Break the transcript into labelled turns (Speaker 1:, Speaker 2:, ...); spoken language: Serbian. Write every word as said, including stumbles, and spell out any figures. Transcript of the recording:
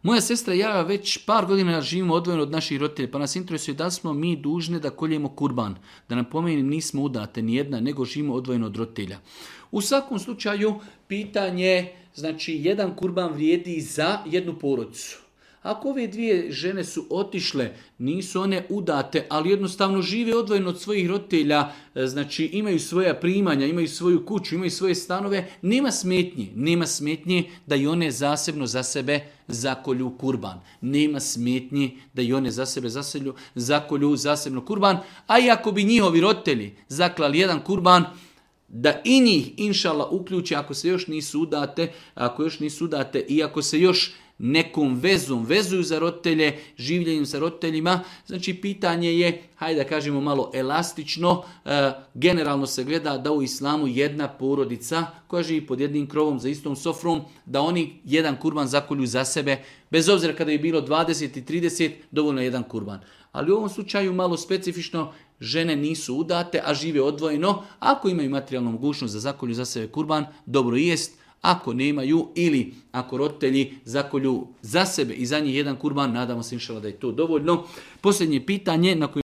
Speaker 1: Moja sestra i ja već par godina živimo odvojeno od naših roditelja, pa nas interesuje da smo mi dužni da koljemo kurban. Da napomenem, nismo udate ni jedna, nego živimo odvojeno od roditelja. U svakom slučaju, pitanje, znači jedan kurban vrijedi za jednu porodicu. Ako ove dvije žene su otišle, nisu one udate, ali jednostavno žive odvojeno od svojih roditelja, znači imaju svoja primanja, imaju svoju kuću, imaju svoje stanove, nema smetnje, nema smetnje da i one zasebno za sebe zakolju kurban. Nema smetnje da i one za sebe zaselju, zakolju zasebno kurban, a i ako bi njihovi roditelji zaklali jedan kurban, da i njih, inšala, uključi ako se još nisu udate, ako još nisu udate i ako se još nekom vezom vezuju za roditelje, življenjem sa roditeljima. Znači pitanje je, hajde da kažemo malo elastično, e, generalno se gleda da u islamu jedna porodica koja živi pod jednim krovom za istom sofrom, da oni jedan kurban zakolju za sebe, bez obzira kada je bilo dvadeset i trideset, dovoljno je jedan kurban. Ali u ovom slučaju malo specifično, žene nisu udate, a žive odvojeno. Ako imaju materijalnu mogućnost da zakolju za sebe kurban, dobro jest. Ako nemaju ili ako roditelji zakolju za sebe i za njih jedan kurban, nadamo se inšala da je to dovoljno. Posljednje pitanje na koje